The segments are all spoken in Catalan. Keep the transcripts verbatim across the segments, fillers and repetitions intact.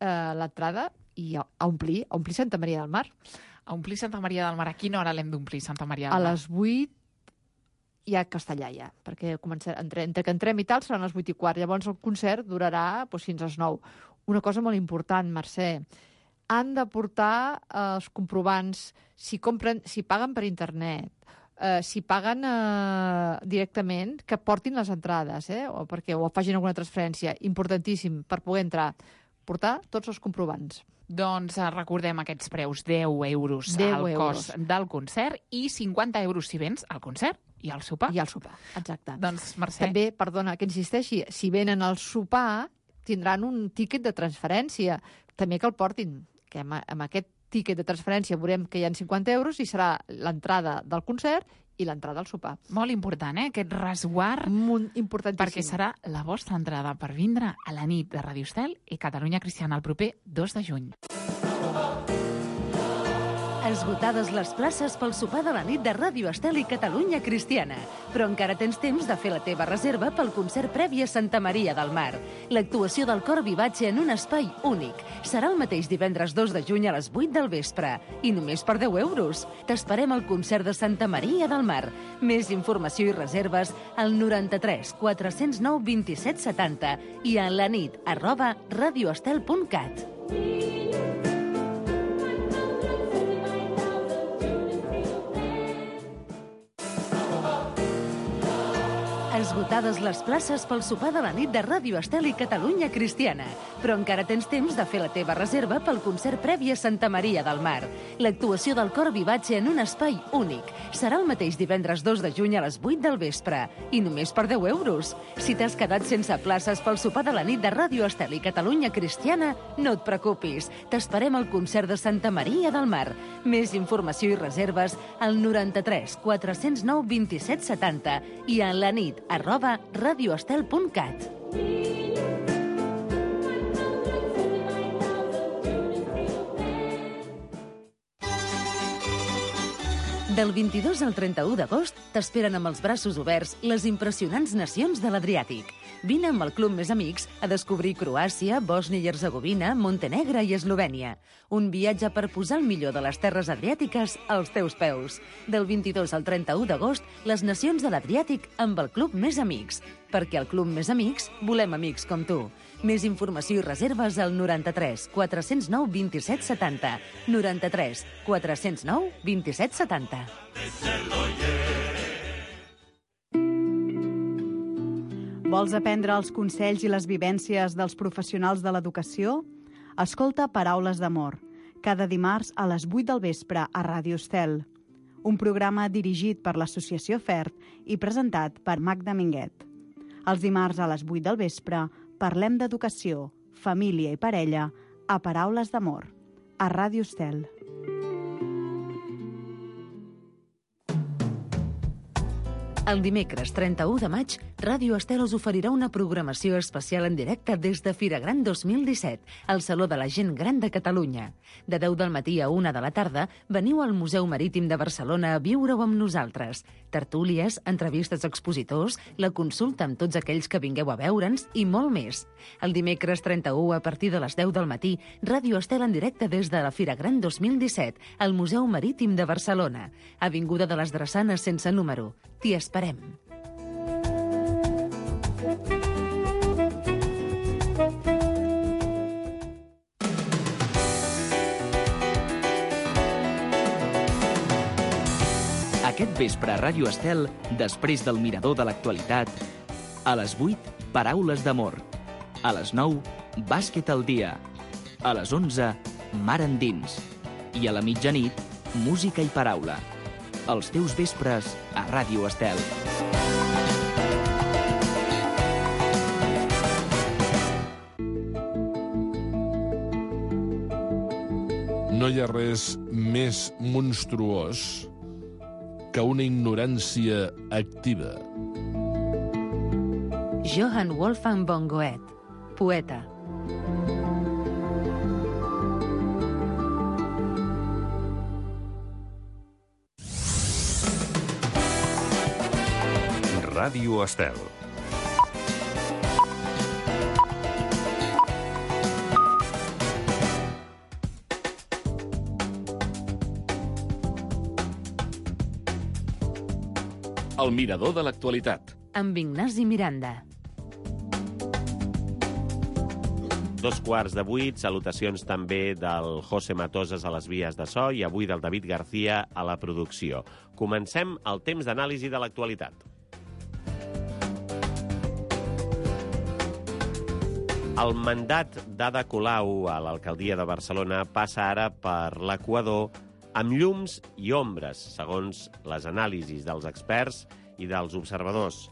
eh, l'entrada i a, a omplir, a omplir Santa Maria del Mar. A omplir Santa Maria del Mar. A quina hora l'hem d'omplir Santa Maria del Mar? A les vuit hi ha castellà ja, perquè comença, entre, entre que entrem i tal seran les vuit i quart. Llavors el concert durarà doncs, fins a les nou. Una cosa molt important, Mercè, han de portar eh, els comprovants, si, compren, si paguen per internet, eh, si paguen eh, directament, que portin les entrades, eh, o perquè o facin alguna transferència. Importantíssim, per poder entrar, portar tots els comprovants. Doncs eh, recordem aquests preus, deu euros al cost del concert i cinquanta euros si vens al concert i al sopar. I al sopar, exacte. Doncs, Mercè... També, perdona que insisteixi, si venen al sopar tindran un tíquet de transferència. També que el portin, que amb, amb aquest tíquet de transferència veurem que hi ha cinquanta euros i serà l'entrada del concert i l'entrada al sopar. Molt important, eh? Aquest resguard. Molt importantíssim. Perquè serà la vostra entrada per vindre a la nit de Radio Estel i Catalunya Cristiana el proper dos de juny. Esgotades les places pel sopar de la nit de Ràdio Estel i Catalunya Cristiana. Però encara tens temps de fer la teva reserva pel concert previ a Santa Maria del Mar. L'actuació del cor Vivace en un espai únic. Serà el mateix divendres dos de juny a les vuit del vespre. I només per deu euros. T'esperem al concert de Santa Maria del Mar. Més informació i reserves al noranta-tres quatre-cents nou vint-i-set setanta i a la nit arroba radioestel punt cat. Esgotades les places pel sopar de la nit de Ràdio Estel i Catalunya Cristiana. Però encara tens temps de fer la teva reserva pel concert previ a Santa Maria del Mar. L'actuació del cor Vivace en un espai únic. Serà el mateix divendres dos de juny a les vuit del vespre. I només per deu euros. Si t'has quedat sense places pel sopar de la nit de Ràdio Estel i Catalunya Cristiana, no et preocupis. T'esperem al concert de Santa Maria del Mar. Més informació i reserves al noranta-tres quatre-cents nou vint-i-set setanta i a la nit arroba radioestel punt cat. Del vint-i-dos al trenta-u d'agost t'esperen amb els braços oberts les impressionants nacions de l'Adriàtic. Vine amb el Club Més Amics a descobrir Croàcia, Bòsnia i Hercegovina, Montenegre i Eslovènia. Un viatge per posar el millor de les terres adriàtiques als teus peus. Del vint-i-dos al trenta-u d'agost, les nacions de l'Adriàtic amb el Club Més Amics. Perquè al Club Més Amics volem amics com tu. Més informació i reserves al noranta-tres quatre-cents nou vint-i-set setanta. noranta-tres quatre-cents nou vint-i-set setanta. Vols aprendre els consells i les vivències dels professionals de l'educació? Escolta Paraules d'Amor, cada dimarts a les vuit del vespre a Ràdio Estel. Un programa dirigit per l'Associació FERT i presentat per Magda Minguet. Els dimarts a les vuit del vespre parlem d'educació, família i parella a Paraules d'Amor, a Ràdio Estel. El dimecres trenta-u de maig, Ràdio Estel us oferirà una programació especial en directe des de Fira Gran dos mil disset, al Saló de la Gent Gran de Catalunya. De deu del matí a una de la tarda, veniu al Museu Marítim de Barcelona a viure-ho amb nosaltres. Tertúlies, entrevistes a expositors, la consulta amb tots aquells que vingueu a veure'ns i molt més. El dimecres trenta-u, a partir de les deu del matí, Ràdio Estel en directe des de la Fira Gran dos mil disset, al Museu Marítim de Barcelona. Avinguda de les Drassanes sense número. T'hi esperem. Aquest vespre a Ràdio Estel, després del mirador de l'actualitat, a les vuit, Paraules d'Amor. A les nou, Bàsquet al dia. A les onze, Mar endins. I a la mitjanit, Música i paraula. Els teus vespres a Ràdio Estel. No hi ha res més monstruós que una ignorància activa. Johann Wolfgang von Goethe, poeta. Ràdio Estel. El mirador de l'actualitat. Amb Ignasi Miranda. Dos quarts de vuit, salutacions també del José Matosas a les vies de so i avui del David García a la producció. Comencem el temps d'anàlisi de l'actualitat. El mandat d'Ada Colau a l'alcaldia de Barcelona passa ara per l'equador amb llums i ombres, segons les anàlisis dels experts i dels observadors.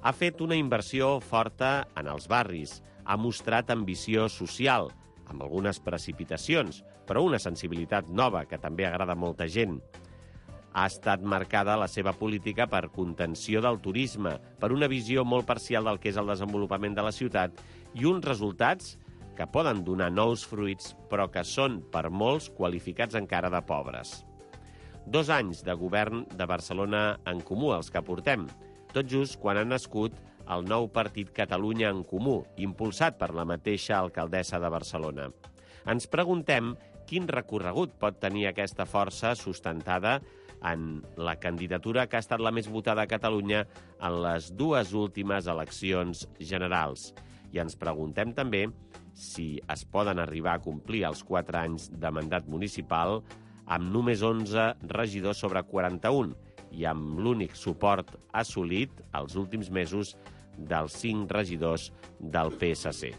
Ha fet una inversió forta en els barris, ha mostrat ambició social, amb algunes precipitacions, però una sensibilitat nova que també agrada a molta gent. Ha estat marcada la seva política per contenció del turisme, per una visió molt parcial del que és el desenvolupament de la ciutat i uns resultats que poden donar nous fruits, però que són, per molts, qualificats encara de pobres. Dos anys de govern de Barcelona en Comú, els que portem, tot just quan ha nascut el nou partit Catalunya en Comú, impulsat per la mateixa alcaldessa de Barcelona. Ens preguntem quin recorregut pot tenir aquesta força sustentada en la candidatura que ha estat la més votada a Catalunya en les dues últimes eleccions generals. I ens preguntem també si es poden arribar a complir els quatre anys de mandat municipal amb només onze regidors sobre quaranta-un i amb l'únic suport assolit els últims mesos dels cinc regidors del P S C.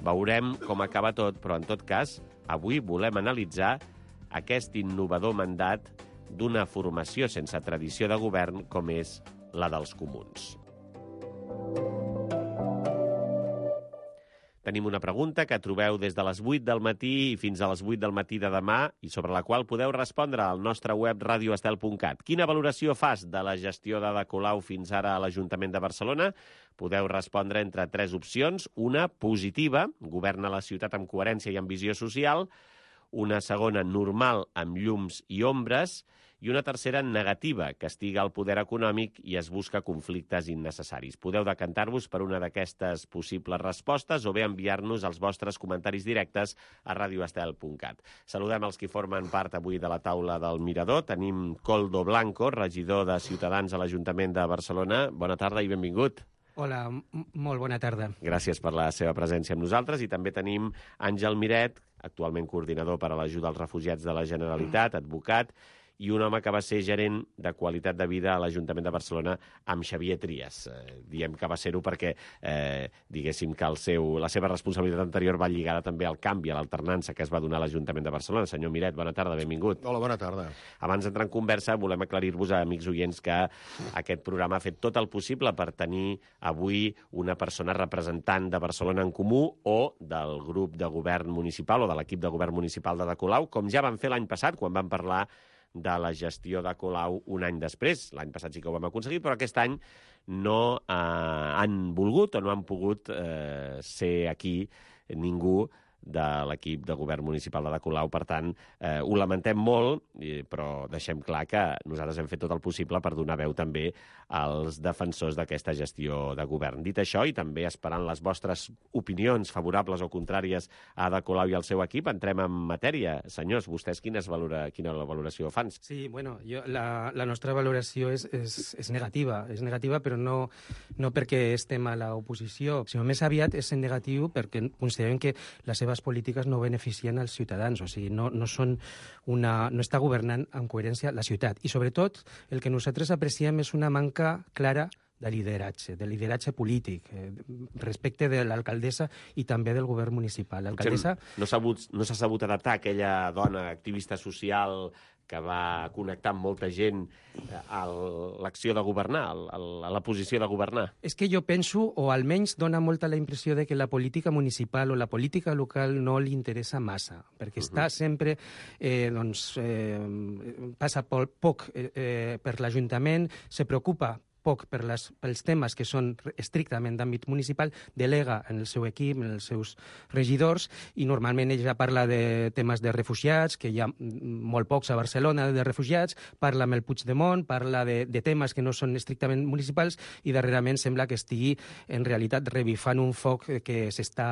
Veurem com acaba tot, però en tot cas, avui volem analitzar aquest innovador mandat d'una formació sense tradició de govern com és la dels comuns. Tenim una pregunta que trobeu des de les vuit del matí i fins a les vuit del matí de demà i sobre la qual podeu respondre al nostre web radio estel punt cat. Quina valoració fas de la gestió d'Ada Colau fins ara a l'Ajuntament de Barcelona? Podeu respondre entre tres opcions. Una, positiva, governa la ciutat amb coherència i amb visió social. Una segona, normal, amb llums i ombres. I una tercera, negativa, castiga el poder econòmic i es busca conflictes innecessaris. Podeu decantar-vos per una d'aquestes possibles respostes o bé enviar-nos els vostres comentaris directes a radio estel punt cat. Saludem els que formen part avui de la taula del Mirador. Tenim Koldo Blanco, regidor de Ciutadans a l'Ajuntament de Barcelona. Bona tarda i benvingut. Hola, molt bona tarda. Gràcies per la seva presència amb nosaltres. I també tenim Àngel Miret, actualment coordinador per a l'ajuda als refugiats de la Generalitat, advocat, i un home que va ser gerent de qualitat de vida a l'Ajuntament de Barcelona amb Xavier Trias. Eh, diem que va ser-ho perquè, eh, diguéssim, que el seu, la seva responsabilitat anterior va lligada també al canvi, a l'alternança que es va donar a l'Ajuntament de Barcelona. Senyor Miret, bona tarda, benvingut. Hola, bona tarda. Abans d'entrar en conversa, volem aclarir-vos a amics oients que aquest programa ha fet tot el possible per tenir avui una persona representant de Barcelona en Comú o del grup de govern municipal o de l'equip de govern municipal de Ada Colau, com ja van fer l'any passat, quan van parlar de la gestió de Colau un any després. L'any passat sí que ho vam aconseguir, però aquest any no eh, han volgut o no han pogut eh, ser aquí ningú de l'equip de govern municipal de Ada Colau. Per tant, eh, ho lamentem molt, però deixem clar que nosaltres hem fet tot el possible per donar veu també als defensors d'aquesta gestió de govern. Dit això, i també esperant les vostres opinions favorables o contràries a Ada Colau i al seu equip, entrem en matèria. Senyors, vostès quines valora, quina valoració fan? Sí, bueno, jo, la, la nostra valoració és, és, és negativa, és negativa, però no, no perquè estem a l'oposició, sinó més aviat és negatiu perquè considerem que la seva polítiques no beneficien als ciutadans, o sigui, no, no, són una, no està governant amb coherència la ciutat. I sobretot el que nosaltres apreciem és una manca clara de lideratge, de lideratge polític, eh, respecte de l'alcaldessa i també del govern municipal. L'alcaldessa... No s'ha no s'ha sabut adaptar aquella dona activista social que va connectar amb molta gent a l'acció de governar, a la posició de governar. És que jo penso, o almenys dona molta la impressió de que la política municipal o la política local no li interessa massa, perquè uh-huh. està sempre, eh, doncs, eh, passa poc eh, per l'Ajuntament, se preocupa poc per les, pels temes que són estrictament d'àmbit municipal, delega en el seu equip, en els seus regidors, i normalment ella parla de temes de refugiats, que hi ha molt pocs a Barcelona de refugiats, parla amb el Puigdemont, parla de, de temes que no són estrictament municipals, i darrerament sembla que estigui en realitat revifant un foc que s'està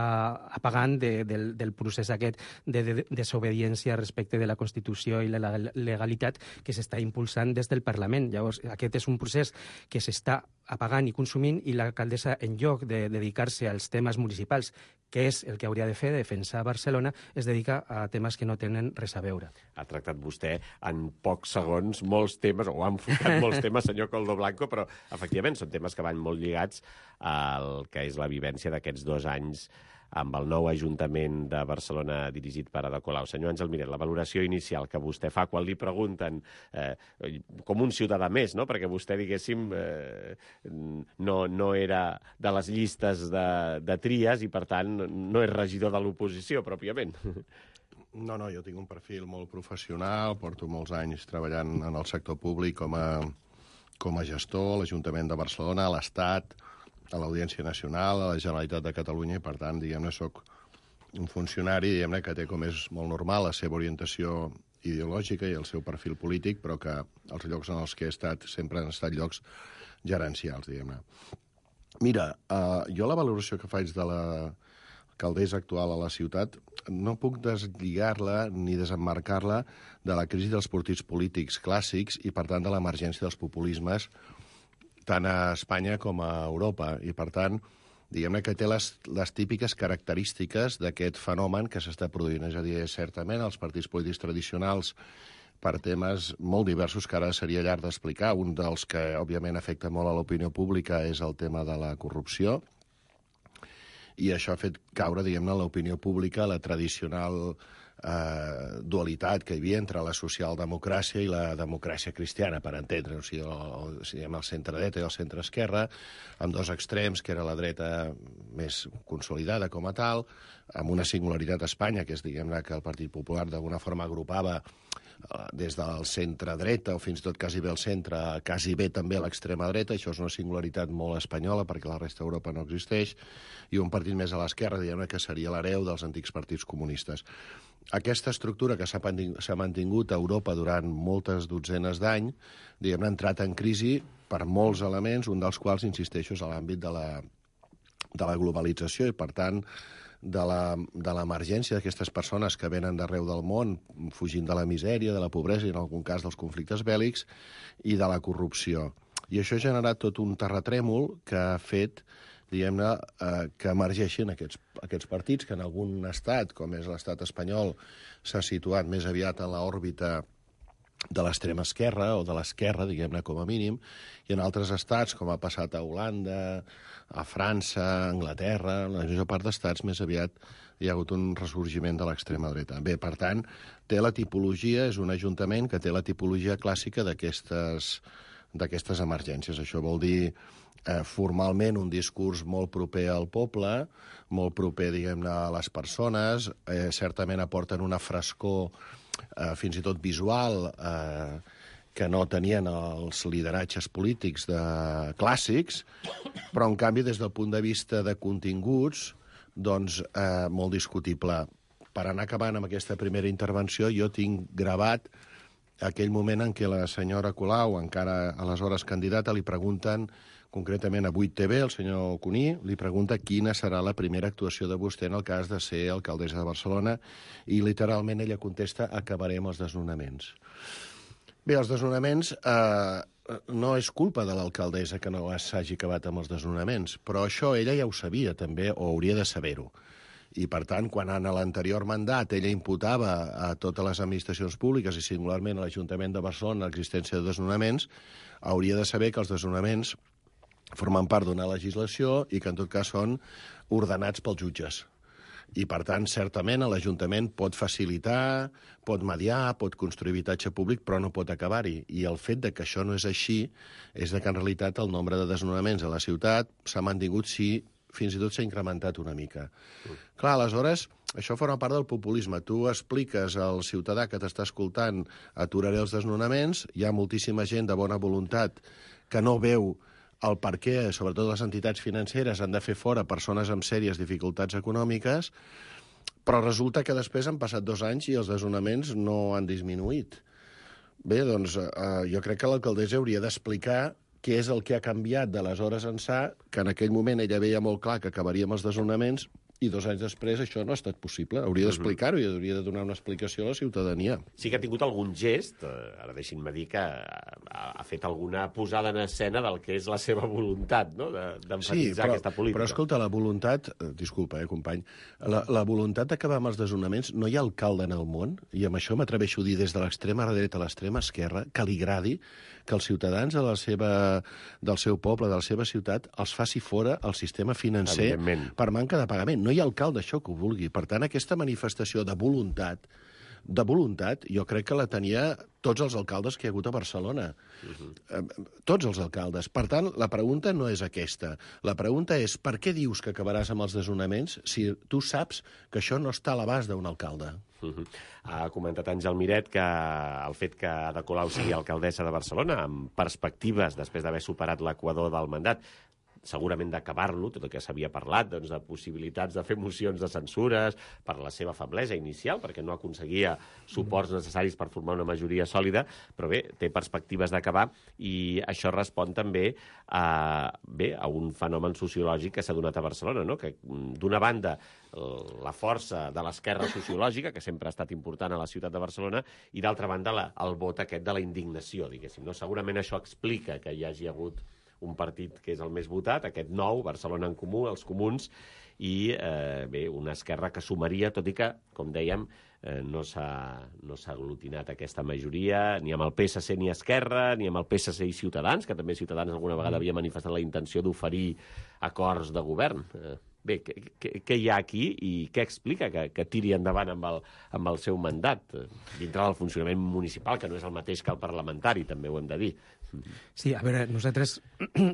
apagant de, del, del procés aquest de, de, de desobediència respecte de la Constitució i la legalitat que s'està impulsant des del Parlament. Llavors, aquest és un procés que s'està apagant i consumint, i l'alcaldessa, en lloc de dedicar-se als temes municipals, que és el que hauria de fer, defensar Barcelona, es dedica a temes que no tenen res a veure. Ha tractat vostè en pocs segons molts temes, o ha enfocat molts temes, senyor Coldo Blanco, però efectivament són temes que van molt lligats al que és la vivència d'aquests dos anys amb el nou Ajuntament de Barcelona dirigit per Ada Colau. Senyor Àngel Miret, la valoració inicial que vostè fa quan li pregunten eh, com un ciutadà més, no? Perquè vostè, diguéssim, eh, no, no era de les llistes de, de tries i, per tant, no és regidor de l'oposició, pròpiament. No, no, jo tinc un perfil molt professional, porto molts anys treballant en el sector públic com a, com a gestor, a l'Ajuntament de Barcelona, a l'Estat, a l'Audiència Nacional, a la Generalitat de Catalunya, i per tant, diguem-ne, soc un funcionari, diguem-ne, que té, com és molt normal, la seva orientació ideològica i el seu perfil polític, però que els llocs en els que he estat sempre han estat llocs gerencials, diguem-ne. Mira, eh, jo la valoració que faig de l'alcaldessa actual a la ciutat no puc deslligar-la ni desemmarcar-la de la crisi dels partits polítics clàssics i, per tant, de l'emergència dels populismes tant a Espanya com a Europa. I, per tant, diguem-ne que té les, les típiques característiques d'aquest fenomen que s'està produint. És a dir, certament, els partits polítics tradicionals, per temes molt diversos que ara seria llarg d'explicar, un dels que, òbviament, afecta molt a l'opinió pública és el tema de la corrupció, i això ha fet caure, diguem-ne, a l'opinió pública la tradicional Eh, dualitat que hi havia entre la socialdemocràcia i la democràcia cristiana, per entendre, o sigui, el, o sigui, el centre-dreta i el centre-esquerra, amb dos extrems, que era la dreta més consolidada com a tal, amb una singularitat a Espanya, que és, diguem-ne, que el Partit Popular d'alguna forma agrupava eh, des del centre-dreta, o fins i tot quasi bé el centre, quasi bé també l'extrema dreta. Això és una singularitat molt espanyola, perquè la resta d'Europa no existeix, i un partit més a l'esquerra, diguem-ne, que seria l'hereu dels antics partits comunistes. Aquesta estructura que s'ha mantingut a Europa durant moltes dotzenes d'any, diguem-ne, ha entrat en crisi per molts elements, un dels quals, insisteixo, és l'àmbit de la, de la globalització i, per tant, de l'emergència d'aquestes persones que venen d'arreu del món, fugint de la misèria, de la pobresa i, en algun cas, dels conflictes bèl·lics i de la corrupció. I això ha generat tot un terratrèmol que ha fet, diguem-ne, eh, que emergeixin aquests, aquests partits, que en algun estat, com és l'estat espanyol, s'ha situat més aviat en l'òrbita de l'extrema esquerra, o de l'esquerra, diguem-ne, com a mínim, i en altres estats, com ha passat a Holanda, a França, a Anglaterra, en la major part d'estats, més aviat hi ha hagut un ressorgiment de l'extrema dreta. Bé, per tant, té la tipologia, és un ajuntament que té la tipologia clàssica d'aquestes d'aquestes emergències. Això vol dir eh, formalment un discurs molt proper al poble, molt proper, diguem-ne, a les persones, eh, certament aporten una frescor eh, fins i tot visual eh, que no tenien els lideratges polítics de clàssics, però, en canvi, des del punt de vista de continguts, doncs, eh, molt discutible. Per anar acabant amb aquesta primera intervenció, jo tinc gravat aquell moment en què la senyora Colau, encara aleshores candidata, li pregunten, concretament a vuit T V, el senyor Cuní, li pregunta quina serà la primera actuació de vostè en el cas de ser alcaldessa de Barcelona, i literalment ella contesta: acabarem els desnonaments. Bé, els desnonaments eh, no és culpa de l'alcaldessa que no s'hagi acabat amb els desnonaments, però això ella ja ho sabia també, o hauria de saber-ho. I, per tant, quan en l'anterior mandat ella imputava a totes les administracions públiques i singularment a l'Ajuntament de Barcelona l'existència de desnonaments, hauria de saber que els desnonaments formen part d'una legislació i que, en tot cas, són ordenats pels jutges. I, per tant, certament, l'Ajuntament pot facilitar, pot mediar, pot construir habitatge públic, però no pot acabar-hi. I el fet de que això no és així és que, en realitat, el nombre de desnonaments a la ciutat s'ha mantingut, sí, fins i tot s'ha incrementat una mica. Mm. Clar, aleshores, això forma part del populisme. Tu expliques al ciutadà que t'està escoltant: aturaré els desnonaments, hi ha moltíssima gent de bona voluntat que no veu el per què, sobretot les entitats financeres, han de fer fora persones amb sèries dificultats econòmiques, però resulta que després han passat dos anys i els desnonaments no han disminuït. Bé, doncs eh, jo crec que l'alcaldessa hauria d'explicar què és el que ha canviat d'aleshores ençà, que en aquell moment ella veia molt clar que acabaríem els desnonaments, i dos anys després això no ha estat possible. Hauria d'explicar-ho i hauria de donar una explicació a la ciutadania. Sí que ha tingut algun gest, eh, ara deixin-me dir que ha, ha fet alguna posada en escena del que és la seva voluntat, no?, d'emfatitzar sí, però, aquesta política. Però, escolta, la voluntat... Eh, disculpa, eh, company. La, la voluntat d'acabar amb els desnonaments, no hi ha alcalde en el món, i amb això m'atreveixo a dir des de l'extrema dreta a l'extrema esquerra, que li agradi que els ciutadans de la seva, del seu poble, de la seva ciutat, els faci fora el sistema financer per manca de pagament. No hi ha alcalde això que ho vulgui. Per tant, aquesta manifestació de voluntat, de voluntat, jo crec que la tenia tots els alcaldes que hi ha hagut a Barcelona. Uh-huh. eh, tots els alcaldes. Per tant, la pregunta no és aquesta. La pregunta és per què dius que acabaràs amb els desnonaments si tu saps que això no està a l'abast d'un alcalde? Uh-huh. Ha comentat Àngel Miret que el fet que Ada Colau sigui alcaldessa de Barcelona, amb perspectives després d'haver superat l'equador del mandat, segurament d'acabar-lo, tot el que s'havia parlat, doncs, de possibilitats de fer mocions de censures per la seva feblesa inicial, perquè no aconseguia suports necessaris per formar una majoria sòlida, però bé, té perspectives d'acabar, i això respon també a, bé, a un fenomen sociològic que s'ha donat a Barcelona, no?, que d'una banda la força de l'esquerra sociològica, que sempre ha estat important a la ciutat de Barcelona, i d'altra banda la, el vot aquest de la indignació, diguéssim. No? Segurament això explica que hi hagi hagut un partit que és el més votat, aquest nou, Barcelona en Comú, els comuns, i eh, bé, una esquerra que sumaria, tot i que, com dèiem, eh, no s'ha no s'ha aglutinat aquesta majoria, ni amb el P S C ni Esquerra, ni amb el P S C i Ciutadans, que també Ciutadans alguna vegada havia manifestat la intenció d'oferir acords de govern. Eh, bé, què, què, què hi ha aquí i què explica que, que tiri endavant amb el, amb el seu mandat, eh, dintre del funcionament municipal, que no és el mateix que el parlamentari, també ho hem de dir. Sí, a veure, nosaltres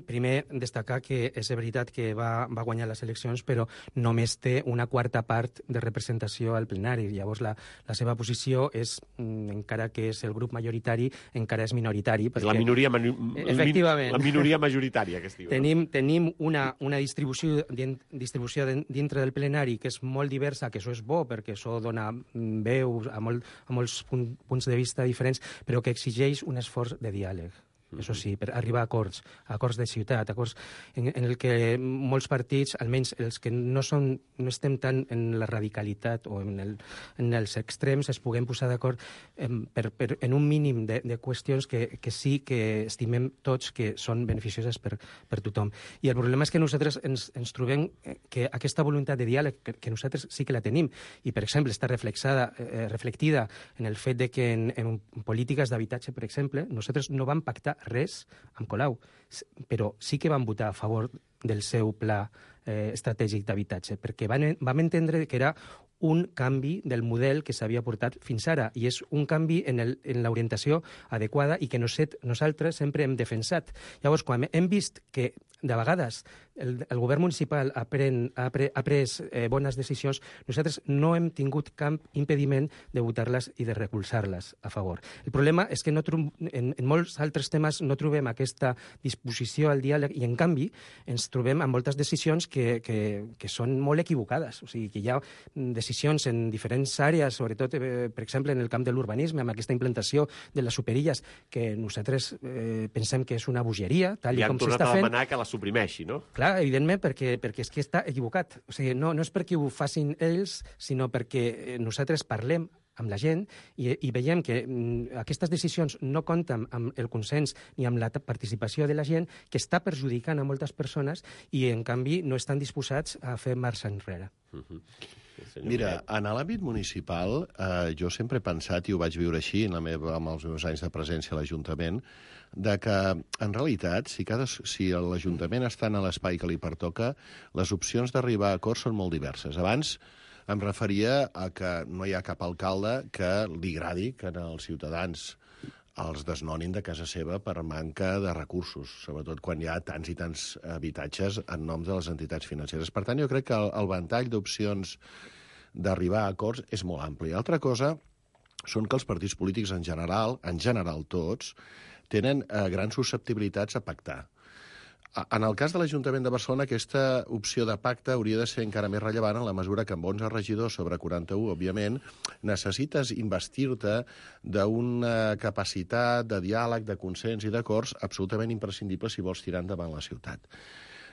primer destacar que és veritat que va, va guanyar les eleccions, però només té una quarta part de representació al plenari. Llavors la, la seva posició és, encara que és el grup majoritari, encara és minoritari. Perquè, la minoria, manu, efectivament, la minoria majoritària que es diu. Tenim, no? tenim una, una distribució, distribució dintre del plenari que és molt diversa, que això és bo, perquè això dona veu a, molt, a molts punts de vista diferents, però que exigeix un esforç de diàleg. Això sí, per arribar a acords, a acords de ciutat, acords en, en el que molts partits, almenys els que no, són, no estem tant en la radicalitat o en, el, en els extrems, es puguem posar d'acord en, per, per, en un mínim de, de qüestions que, que sí que estimem tots que són beneficioses per, per tothom. I el problema és que nosaltres ens, ens trobem que aquesta voluntat de diàleg, que, que nosaltres sí que la tenim, i per exemple està reflexada, eh, reflectida en el fet de que en, en polítiques d'habitatge, per exemple, nosaltres no vam pactar res amb Colau, però sí que van votar a favor del seu pla eh, estratègic d'habitatge, perquè van, vam entendre que era un canvi del model que s'havia portat fins ara, i és un canvi en, el, en l'orientació adequada i que nosaltres sempre hem defensat. Llavors, quan hem vist que de vegades el, el govern municipal ha, pren, ha, pre, ha pres eh, bones decisions, nosaltres no hem tingut cap impediment de votar-les i de recolzar-les a favor. El problema és que no en, en molts altres temes no trobem aquesta disposició al diàleg i, en canvi, ens trobem amb moltes decisions que, que, que són molt equivocades. O sigui, que hi ha decisions en diferents àrees, sobretot, eh, per exemple, en el camp de l'urbanisme, amb aquesta implantació de les superilles, que nosaltres eh, pensem que és una bogeria, tal i com s'està fent. I han tornat a demanar que la suprimeixi, no? Clar, evidentment, perquè, perquè és que està equivocat. O sigui, no, no és perquè ho facin ells, sinó perquè nosaltres parlem amb la gent i, i veiem que mm, aquestes decisions no compten amb el consens ni amb la participació de la gent, que està perjudicant a moltes persones i, en canvi, no estan disposats a fer marxa enrere. Uh-huh. Mira, en l'àmbit municipal, eh, jo sempre he pensat, i ho vaig viure així en la meva, amb els meus anys de presència a l'Ajuntament, de que, en realitat, si, cada, si l'Ajuntament està en l'espai que li pertoca, les opcions d'arribar a acords són molt diverses. Abans em referia a que no hi ha cap alcalde que li agradi que els ciutadans els desnonin de casa seva per manca de recursos, sobretot quan hi ha tants i tants habitatges en nom de les entitats financeres. Per tant, jo crec que el, el ventall d'opcions d'arribar a acords és molt ampli. Altra cosa són que els partits polítics en general, en general tots, tenen eh, grans susceptibilitats a pactar. En el cas de l'Ajuntament de Barcelona, aquesta opció de pacte hauria de ser encara més rellevant en la mesura que amb onze regidors sobre quaranta-u, òbviament, necessites investir-te d'una capacitat de diàleg, de consens i d'acords absolutament imprescindible si vols tirar endavant la ciutat.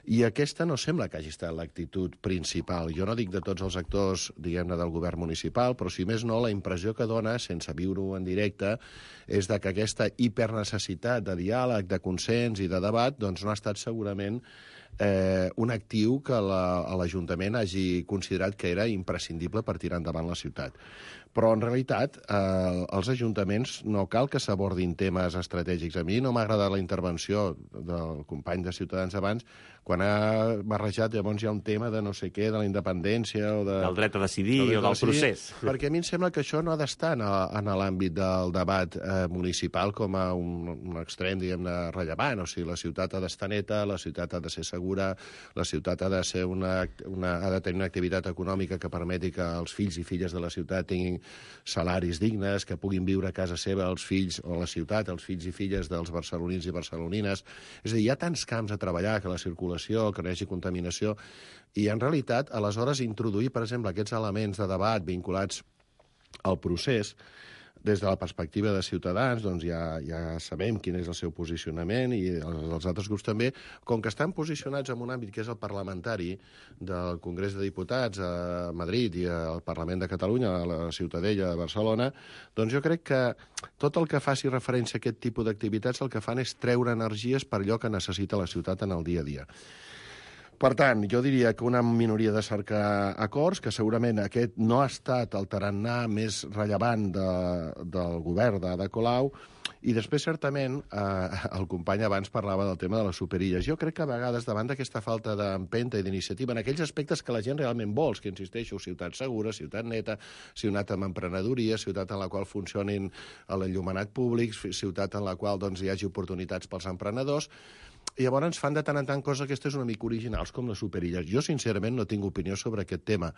I aquesta no sembla que hagi estat l'actitud principal. Jo no dic de tots els actors, diguem-ne, del govern municipal, però si més no, la impressió que dona, sense viure-ho en directe, és de que aquesta hipernecessitat de diàleg, de consens i de debat, doncs no ha estat segurament eh, un actiu que l'Ajuntament hagi considerat que era imprescindible per tirar endavant la ciutat. Però, en realitat, eh, els ajuntaments no cal que s'abordin temes estratègics. A mi no m'ha agradat la intervenció del company de Ciutadans abans, quan ha barrejat, llavors hi ha un tema de no sé què, de la independència o de... Del dret a decidir o del procés. Perquè a mi em sembla que això no ha d'estar en, en l'àmbit del debat eh, municipal com a un, un extrem, diguem-ne, rellevant. O sigui, la ciutat ha d'estar neta, la ciutat ha de ser segura, la ciutat ha de, ser una, una, ha de tenir una activitat econòmica que permeti que els fills i filles de la ciutat tinguin salaris dignes, que puguin viure a casa seva els fills o a la ciutat, els fills i filles dels barcelonins i barcelonines. És a dir, hi ha tants camps a treballar, que la circulació, que no hi hagi contaminació, i en realitat, aleshores, introduir, per exemple, aquests elements de debat vinculats al procés, des de la perspectiva de Ciutadans, doncs ja, ja sabem quin és el seu posicionament i els altres grups també, com que estan posicionats en un àmbit que és el parlamentari del Congrés de Diputats a Madrid i al Parlament de Catalunya, a la Ciutadella de Barcelona, doncs jo crec que tot el que faci referència a aquest tipus d'activitats el que fan és treure energies per allò que necessita la ciutat en el dia a dia. Per tant, jo diria que una minoria de cercar acords, que segurament aquest no ha estat el tarannà més rellevant de, del govern d'Ada Colau, i després, certament, eh, el company abans parlava del tema de les superilles. Jo crec que a vegades, davant d'aquesta falta d'empenta i d'iniciativa, en aquells aspectes que la gent realment vol, que insisteixo, ciutat segura, ciutat neta, ciutat amb emprenedoria, ciutat en la qual funcionin l'enllumenat públic, ciutat en la qual doncs, hi hagi oportunitats pels emprenedors, i llavors fan de tant en tant coses aquestes una mica originals, com les superilles. Jo, sincerament, no tinc opinió sobre aquest tema,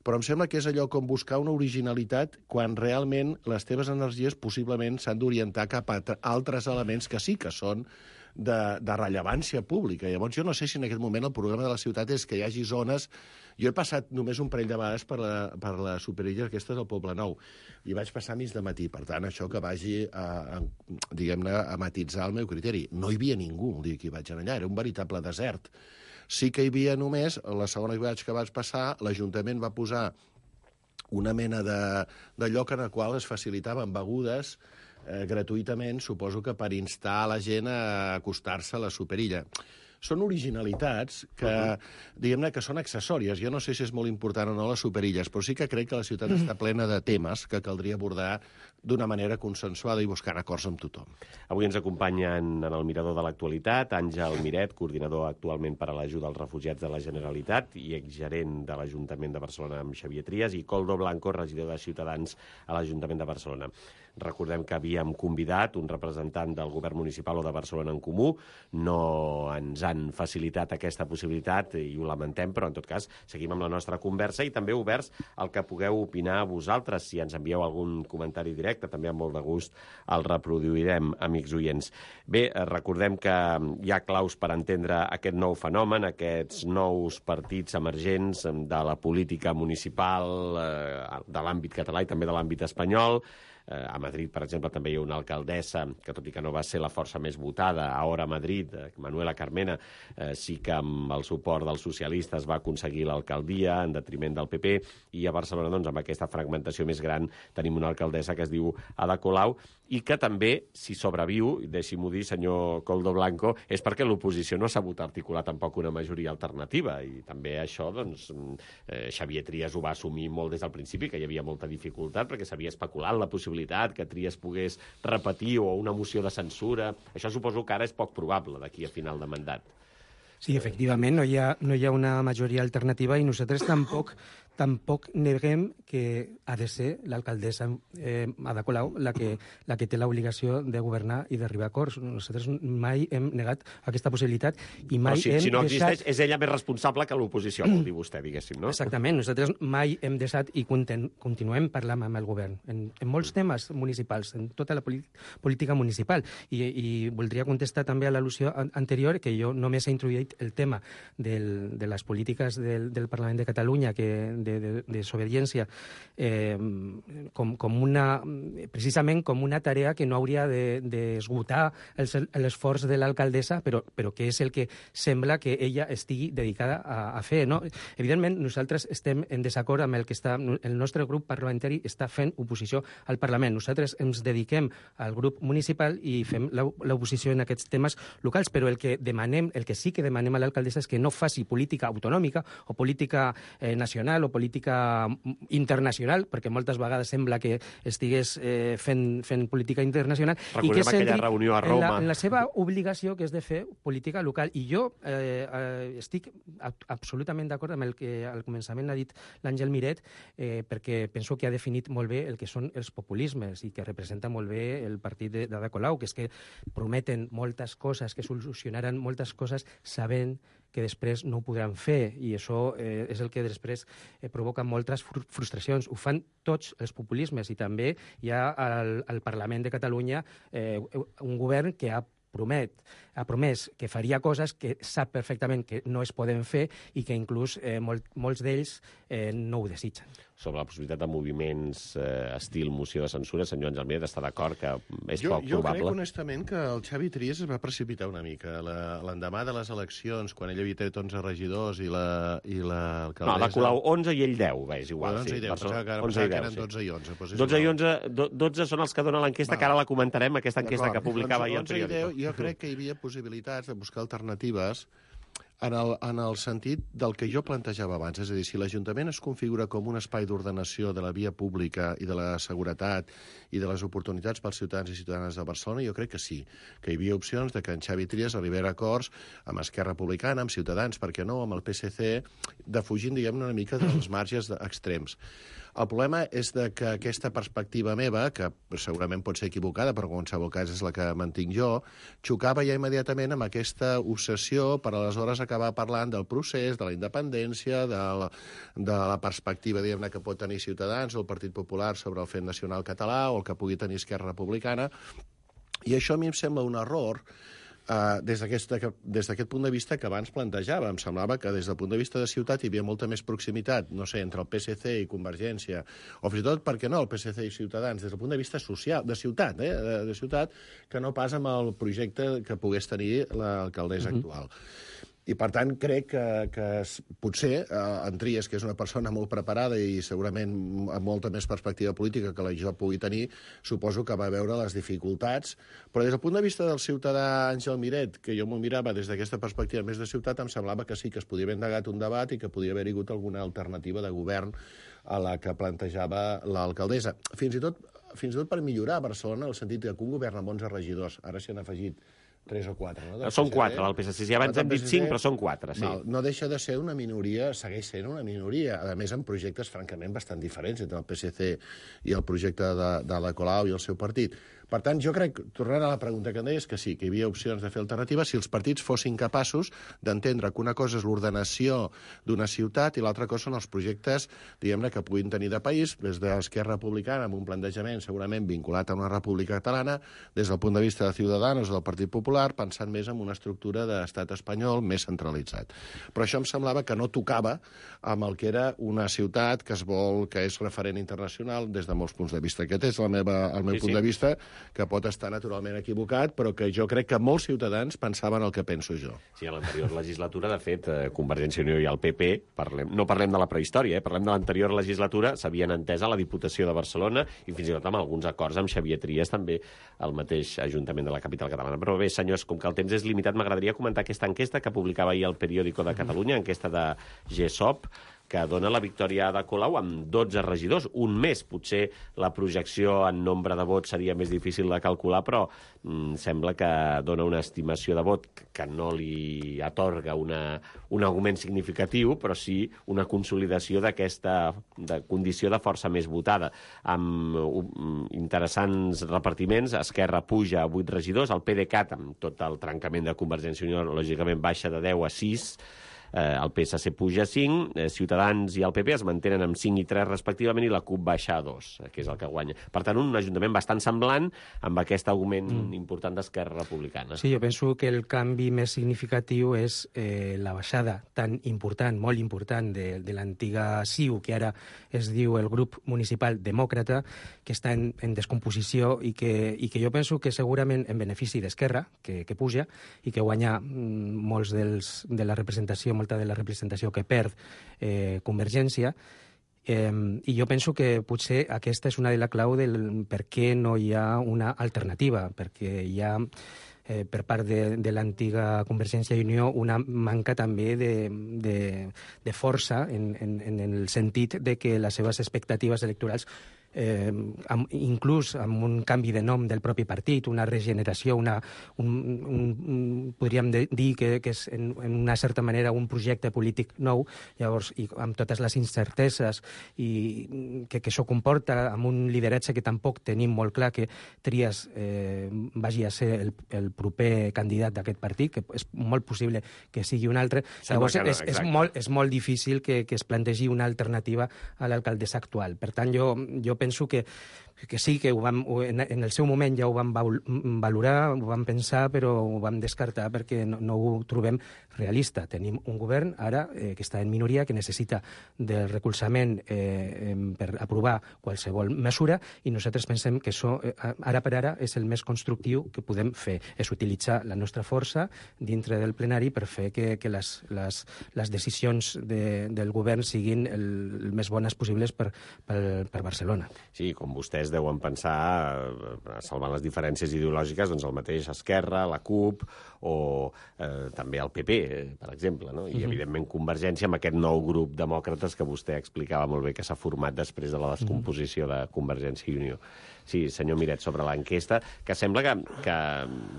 però em sembla que és allò com buscar una originalitat quan realment les teves energies possiblement s'han d'orientar cap a altres elements que sí que són de, de rellevància pública. Llavors, jo no sé si en aquest moment el problema de la ciutat és que hi hagi zones... Jo he passat només un parell de vegades per la, per la superilla aquesta del Poble Nou, i vaig passar mig de matí. Per tant, això que vagi a, a, diguem-ne, a matitzar el meu criteri. No hi havia ningú el dia que hi vaig anar allà, era un veritable desert. Sí que hi havia només, la segona vegada que vaig passar, l'Ajuntament va posar una mena de, de lloc en el qual es facilitaven begudes eh, gratuïtament, suposo que per instar la gent a acostar-se a la superilla. Són originalitats que, diguem-ne, que són accessòries. Jo no sé si és molt important o no les superilles, però sí que crec que la ciutat està plena de temes que caldria abordar d'una manera consensuada i buscar acords amb tothom. Avui ens acompanyen en el Mirador de l'Actualitat Àngel Miret, coordinador actualment per a l'ajuda als refugiats de la Generalitat i exgerent de l'Ajuntament de Barcelona amb Xavier Trias, i Koldo Blanco, regidor de Ciutadans a l'Ajuntament de Barcelona. Recordem que havíem convidat un representant del govern municipal o de Barcelona en Comú. No ens han facilitat aquesta possibilitat i ho lamentem, però en tot cas seguim amb la nostra conversa i també oberts al que pugueu opinar vosaltres. Si ens envieu algun comentari directe, també amb molt de gust el reproduirem, amics oients. Bé, recordem que hi ha claus per entendre aquest nou fenomen, aquests nous partits emergents de la política municipal, de l'àmbit català i també de l'àmbit espanyol. A Madrid, per exemple, també hi ha una alcaldessa que, tot i que no va ser la força més votada, ara a Madrid, Manuela Carmena, eh, sí que amb el suport dels socialistes va aconseguir l'alcaldia en detriment del P P, i a Barcelona, doncs, amb aquesta fragmentació més gran, tenim una alcaldessa que es diu Ada Colau, i que també, si sobreviu, deixi-m'ho dir, senyor Koldo Blanco, és perquè l'oposició no ha sabut articular tampoc una majoria alternativa, i també això, doncs, eh, Xavier Trias ho va assumir molt des del principi, que hi havia molta dificultat, perquè s'havia especulat la possibilitat que Trias pogués repetir o una moció de censura. Això suposo que ara és poc probable d'aquí a final de mandat. Sí, efectivament, no hi ha, no hi ha una majoria alternativa i nosaltres tampoc tampoc neguem que ha de ser l'alcaldessa eh, Ada Colau la que, la que té l'obligació de governar i d'arribar a acords. Nosaltres mai hem negat aquesta possibilitat i mai Però si, hem si no deixat... existeix, és ella més responsable que l'oposició, vol dir vostè, diguéssim, no? Exactament. Nosaltres mai hem deixat i conten, continuem parlant amb el govern en, en molts temes municipals, en tota la política municipal. I, i voldria contestar també a l'al·lusió anterior que jo només he introduït el tema del, de les polítiques del, del Parlament de Catalunya que de, de, de desobediència eh, com, com una, precisament com una tarea que no hauria d'esgotar de, de l'esforç de l'alcaldessa, però, però que és el que sembla que ella estigui dedicada a, a fer. No? Evidentment, nosaltres estem en desacord amb el que està, el nostre grup parlamentari està fent oposició al Parlament. Nosaltres ens dediquem al grup municipal i fem l'oposició en aquests temes locals, però el que demanem, el que sí que demanem a l'alcaldessa és que no faci política autonòmica o política eh, nacional o política internacional, perquè moltes vegades sembla que estigués eh, fent, fent política internacional. Recordem i que aquella reunió a Roma. En la, en la seva obligació, que és de fer política local. I jo eh, eh, estic absolutament d'acord amb el que al començament ha dit l'Àngel Miret, eh, perquè penso que ha definit molt bé el que són els populismes i que representa molt bé el partit d'Ada Colau, que és que prometen moltes coses, que solucionaran moltes coses sabent que després no ho podran fer, i això eh, és el que després eh, provoca moltes frustracions. Ho fan tots els populismes, i també hi ha al, al Parlament de Catalunya eh, un govern que ha promet, ha promès que faria coses que sap perfectament que no es poden fer i que inclús eh, molt, molts d'ells eh, no ho desitgen. Sobre la possibilitat de moviments eh, estil moció de censura, senyor Àngel Miret està d'acord que és jo, poc jo probable? Jo crec, honestament, que el Xavi Trias es va precipitar una mica. L'endemà de les eleccions, quan ell havia tret onze regidors i la i l'alcaldessa... No, la Colau onze i ell deu, bé, és igual. onze i deu, pensava que, onze que eren dotze i onze. Doncs dotze i onze, dotze són els que dona l'enquesta, que ara la comentarem, aquesta enquesta que publicava ahir el periòdico. Jo crec que hi havia possibilitats de buscar alternatives en el, en el sentit del que jo plantejava abans. És a dir, si l'Ajuntament es configura com un espai d'ordenació de la via pública i de la seguretat i de les oportunitats pels ciutadans i ciutadanes de Barcelona, jo crec que sí, que hi havia opcions de que en Xavi Trias arribés a acords amb Esquerra Republicana, amb Ciutadans, per què no, amb el P S C, defugint, diguem-ne, una mica dels marges extrems. El problema és de que aquesta perspectiva meva, que segurament pot ser equivocada, però en qualsevol cas és la que mantinc jo, xocava ja immediatament amb aquesta obsessió per aleshores acabar parlant del procés, de la independència, de la, de la perspectiva, diguem-ne, que pot tenir Ciutadans o el Partit Popular sobre el fet nacional català o el que pugui tenir Esquerra Republicana. I això a mi em sembla un error, Uh, des d'aquest punt de vista que abans plantejava. Em semblava que des del punt de vista de ciutat hi havia molta més proximitat, no sé, entre el P S C i Convergència, o fins i tot, per què no, el P S C i Ciutadans, des del punt de vista social, de ciutat, eh, de, de ciutat, que no pas amb el projecte que pogués tenir l'alcaldessa uh-huh. actual. I, per tant, crec que, que potser eh, en Trias, que és una persona molt preparada i segurament amb molta més perspectiva política que la jo pugui tenir, suposo que va veure les dificultats. Però des del punt de vista del ciutadà Àngel Miret, que jo m'ho mirava des d'aquesta perspectiva més de ciutat, em semblava que sí, que es podia haver endegat un debat i que podia haver hagut alguna alternativa de govern a la que plantejava l'alcaldessa. Fins i tot, fins i tot per millorar Barcelona, en el sentit que un govern amb onze regidors, ara s'hi han afegit tres o quatre, no? Són quatre, del P S C. Ja abans hem dit cinc, però són quatre, sí. Val, no deixa de ser una minoria, segueix sent una minoria, a més amb projectes francament bastant diferents entre el P S C i el projecte de, de la Colau i el seu partit. Per tant, jo crec, tornant a la pregunta que em deies, que sí, que hi havia opcions de fer alternatives si els partits fossin capaços d'entendre que una cosa és l'ordenació d'una ciutat i l'altra cosa són els projectes, diguem-ne, que puguin tenir de país, des d'Esquerra Republicana, amb un plantejament segurament vinculat a una república catalana, des del punt de vista de Ciudadanos o del Partit Popular, pensant més en una estructura d'estat espanyol més centralitzat. Però això em semblava que no tocava amb el que era una ciutat que es vol, que és referent internacional des de molts punts de vista. Aquest és la meva, el meu sí, punt sí. de vista, que pot estar naturalment equivocat, però que jo crec que molts ciutadans pensaven el que penso jo. Sí, a l'anterior legislatura, de fet, Convergència i Unió i el P P, parlem, no parlem de la prehistòria, eh, parlem de l'anterior legislatura, s'havien entès a la Diputació de Barcelona i fins i tot amb alguns acords amb Xavier Trias, també al mateix Ajuntament de la capital catalana. Però bé, senyors, com que el temps és limitat, m'agradaria comentar aquesta enquesta que publicava ahir el periòdico de Catalunya, enquesta de G S O P, que dona la victòria a Ada Colau amb dotze regidors, un més. Potser la projecció en nombre de vots seria més difícil de calcular, però mm, sembla que dona una estimació de vot que no li atorga una, un augment significatiu, però sí una consolidació d'aquesta de condició de força més votada. Amb um, interessants repartiments, Esquerra puja a vuit regidors, el PDeCAT, amb tot el trencament de Convergència i Unió, lògicament baixa de deu a sis, Eh, el P S C puja a cinc, eh, Ciutadans i el P P es mantenen amb cinc i tres respectivament, i la CUP baixa a dos, eh, que és el que guanya. Per tant, un ajuntament bastant semblant amb aquest augment mm. important d'Esquerra Republicana. Sí, jo penso que el canvi més significatiu és eh, la baixada tan important, molt important, de, de l'antiga C I U, que ara es diu el grup municipal demòcrata, que està en, en descomposició i que, i que jo penso que segurament en benefici d'Esquerra, que, que puja, i que guanya mm, molts dels, de la representació, molta de la representació que perd eh, Convergència, eh, i jo penso que potser aquesta és una de la clau del per què no hi ha una alternativa, perquè hi ha eh, per part de, de l'antiga Convergència i Unió una manca també de, de, de força en, en, en el sentit de que les seves expectatives electorals Eh, amb, inclús amb un canvi de nom del propi partit, una regeneració, una, un, un, un, podríem de, dir que, que és en, en una certa manera un projecte polític nou, llavors, i amb totes les incerteses i que, que això comporta, amb un lideratge que tampoc tenim molt clar que Trias eh, vagi a ser el, el proper candidat d'aquest partit, que és molt possible que sigui un altre. Llavors, no, és, és, molt, és molt difícil que, que es plantegi una alternativa a l'alcaldessa actual. Per tant, jo, jo penso que, que sí, que ho vam, en, en el seu moment ja ho vam valorar, ho vam pensar, però ho vam descartar perquè no, no ho trobem realista. Tenim un govern ara eh, que està en minoria, que necessita del recolzament eh, per aprovar qualsevol mesura, i nosaltres pensem que això, eh, ara per ara, és el més constructiu que podem fer, és utilitzar la nostra força dintre del plenari per fer que, que les, les, les decisions de, del govern siguin el, el més bones possibles per, per, per Barcelona. Sí, com vostès deuen pensar, salvant les diferències ideològiques, doncs el mateix Esquerra, la CUP o eh, també el P P, per exemple, no? I, evidentment, Convergència amb aquest nou grup demòcrates que vostè explicava molt bé que s'ha format després de la descomposició de Convergència i Unió. Sí, senyor Miret, sobre l'enquesta, que sembla que, que,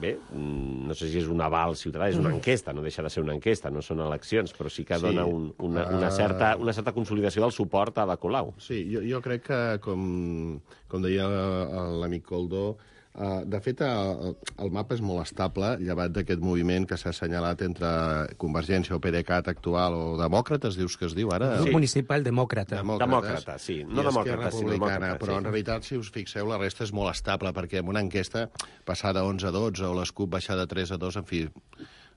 bé, no sé si és un aval ciutadà, és una enquesta, no deixa de ser una enquesta, no són eleccions, però sí que dona un, una, una, certa, una certa consolidació del suport a Ada Colau. Sí, jo, jo crec que, com, com deia l'amic Coldó, Uh, de fet, el, el mapa és molt estable, llevat d'aquest moviment que s'ha assenyalat entre Convergència o PDeCAT actual o demòcrates, dius que es diu ara? Sí. Municipal demòcrata. Demòcrata, sí. No demòcrata, sinó demòcrata. Però sí. En realitat, si us fixeu, la resta és molt estable, perquè en una enquesta passar de onze a dotze o les CUP baixar de tres a dos, en fi...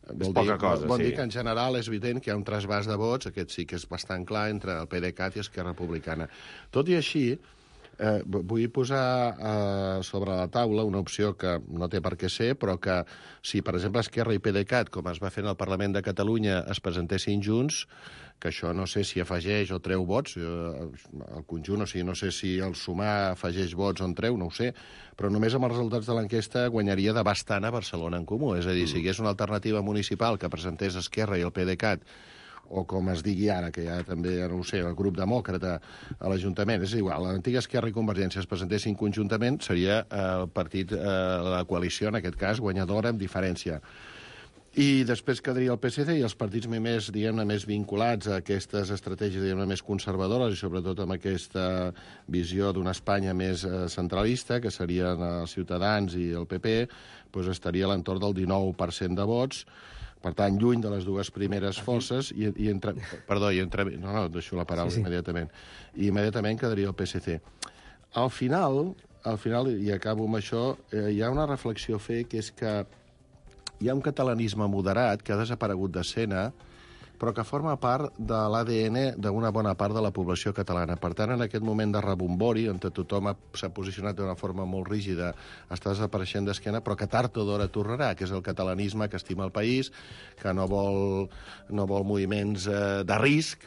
Vol dir, cosa, vol sí. dir que en general és evident que hi ha un trasbàs de vots, aquest sí que és bastant clar, entre el PDeCAT i Esquerra Republicana. Tot i així, Eh, vull posar eh, sobre la taula una opció que no té per què ser, però que si, per exemple, Esquerra i PDeCAT, com es va fer en el Parlament de Catalunya, es presentessin junts, que això no sé si afegeix o treu vots, el conjunt, o sigui, no sé si el sumar afegeix vots o en treu, no ho sé, però només amb els resultats de l'enquesta guanyaria de bastant a Barcelona en Comú. És a dir, si hi hagués una alternativa municipal que presentés Esquerra i el PDeCAT, o com es digui ara, que ja també, no ho sé, el grup demòcrata a l'Ajuntament, és igual, l'antiga Esquerra i Convergència es presentessin conjuntament, seria el partit, eh, la coalició, en aquest cas, guanyadora amb diferència. I després quedaria el P S C i els partits més, diguem-ne, més vinculats a aquestes estratègies, diguem-ne, més conservadores i sobretot amb aquesta visió d'una Espanya més eh, centralista, que serien els Ciutadans i el P P, doncs estaria a l'entorn del dinou per cent de vots, per tant, lluny de les dues primeres forces, i, i entre... Perdó, i entre... No, no, deixo la paraula sí, sí. immediatament. I immediatament quedaria el P S C. Al final, al final, i acabo amb això, eh, hi ha una reflexió a fer, que és que hi ha un catalanisme moderat que ha desaparegut d'escena, però que forma part de l'A D N d'una bona part de la població catalana. Per tant, en aquest moment de rebombori, on tothom s'ha posicionat d'una forma molt rígida, està desapareixent d'esquena, però que tard o d'hora tornarà, que és el catalanisme que estima el país, que no vol, no vol moviments eh, de risc,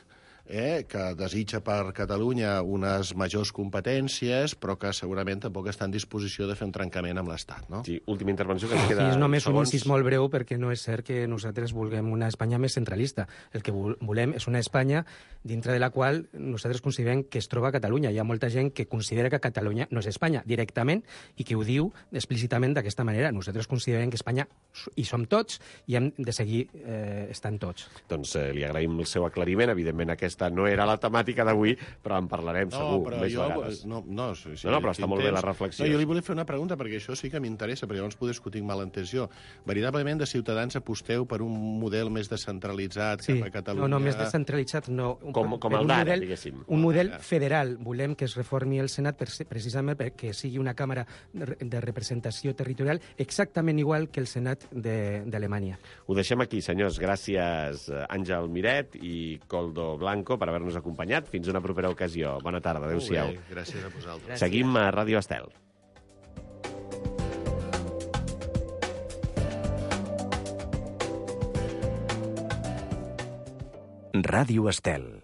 eh, que desitja per Catalunya unes majors competències, però que segurament tampoc està en disposició de fer un trencament amb l'Estat, no? Sí, última intervenció que ens queda... Sí, és només segons... un incís molt breu, perquè no és cert que nosaltres vulguem una Espanya més centralista. El que volem és una Espanya dintre de la qual nosaltres considerem que es troba Catalunya. Hi ha molta gent que considera que Catalunya no és Espanya directament i que ho diu explícitament d'aquesta manera. Nosaltres considerem que Espanya hi som tots i hem de seguir eh, estant tots. Doncs eh, li agraïm el seu aclariment. Evidentment, aquesta no era la temàtica d'avui, però en parlarem no, segur però més jo, vegades. No, no, sí, sí, no, no, però està molt bé la reflexió. No, jo li volia fer una pregunta, perquè això sí que m'interessa, perquè llavors poder discutir mal entès jo. Veritablement, de Ciutadans aposteu per un model més descentralitzat sí. cap a Catalunya? No, no, més descentralitzat no. Com, com el d'ara, diguéssim. Un model federal. Volem que es reformi el Senat per, precisament perquè sigui una càmera de representació territorial exactament igual que el Senat d'Alemanya. Ho deixem aquí, senyors. Gràcies, Àngel Miret i Koldo Blanco, per haver-nos acompanyat. Fins una propera ocasió. Bona tarda. Adéu-siau. Gràcies a vosaltres. Seguim a Ràdio Estel. Ràdio Estel.